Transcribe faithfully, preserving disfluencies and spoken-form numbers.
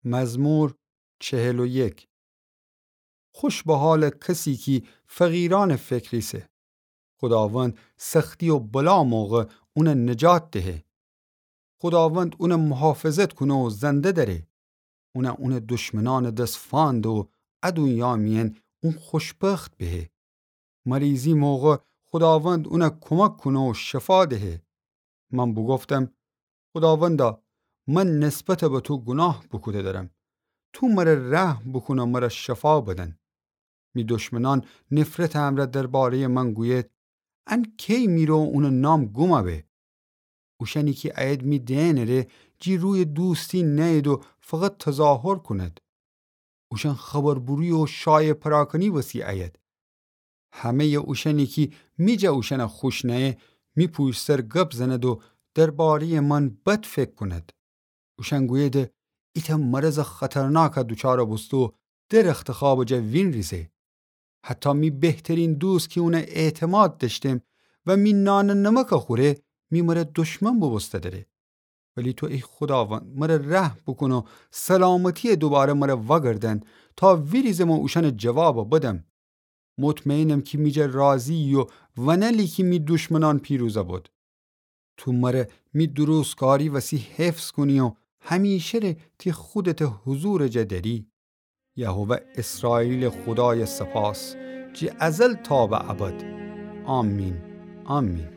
مزمور چهل و یک. خوش به حالٚ کسی کی فقیرأنٚ فکر ایسه. خوداوند سختی و بلا موقع اونَ نجات دهه. خوداوند اونَ محافظت کونه و زنده دأره. اونَ اونٚ دشمنأنٚ دس فانده و ا دونیا میأن اون خوشبخت بهه. مریضی موقع خوداوند اونَ کمک کونه و شفا دهه. من بوگفتم: خوداوندا، من نسبت به تو گوناه بوکوده درم. تو مره رحم بوکون و مره شفا بدن. می دشمنأن نفرتٚ امرأ دربارهٔ من گوید: ان کی می رو اونٚ نام گوما به؟ اوشأنی کی ایید می دئنٚ ره، جی روی دوستی نأید و فقط تظاهر کونید. اوشأن خبربوری و شایعه پراکنی وسی ایید. همهٔ اوشأنی کی می جا اوشأنَ خوش نأیه، می پوشت سر گب زنید و دربارهٔ من بد فکر کونید. اوشأن گوییدی: ایتأ مرضٚ خطرناکَ دوچارَ بوسته و درختٚ خوابٚ جا وینریزه. حتی می بهترین دوست کی اونَ اعتماد دأشتم و می نانٚ نمکَ خوره، می مره دشمن بوبوسته دره. ولی تو ای خوداوند، مره رحم بوکون و سلامتی‌یَ دوباره مره وأگردأن، تا ویریزم و اوشأنَ جوابَ بدم. مطمئنم کی می جا راضی‌یی و ونألی کی می دشمنأن پیروزَ بد. تو مره می درستکاری وسی حفظ کونی و همیشه ره تی خودتٚ حضورٚ جا دأری. یهوه اسرائیلٚ خودایَ سپاس، جی ازل تا به ابد. آمین، آمین.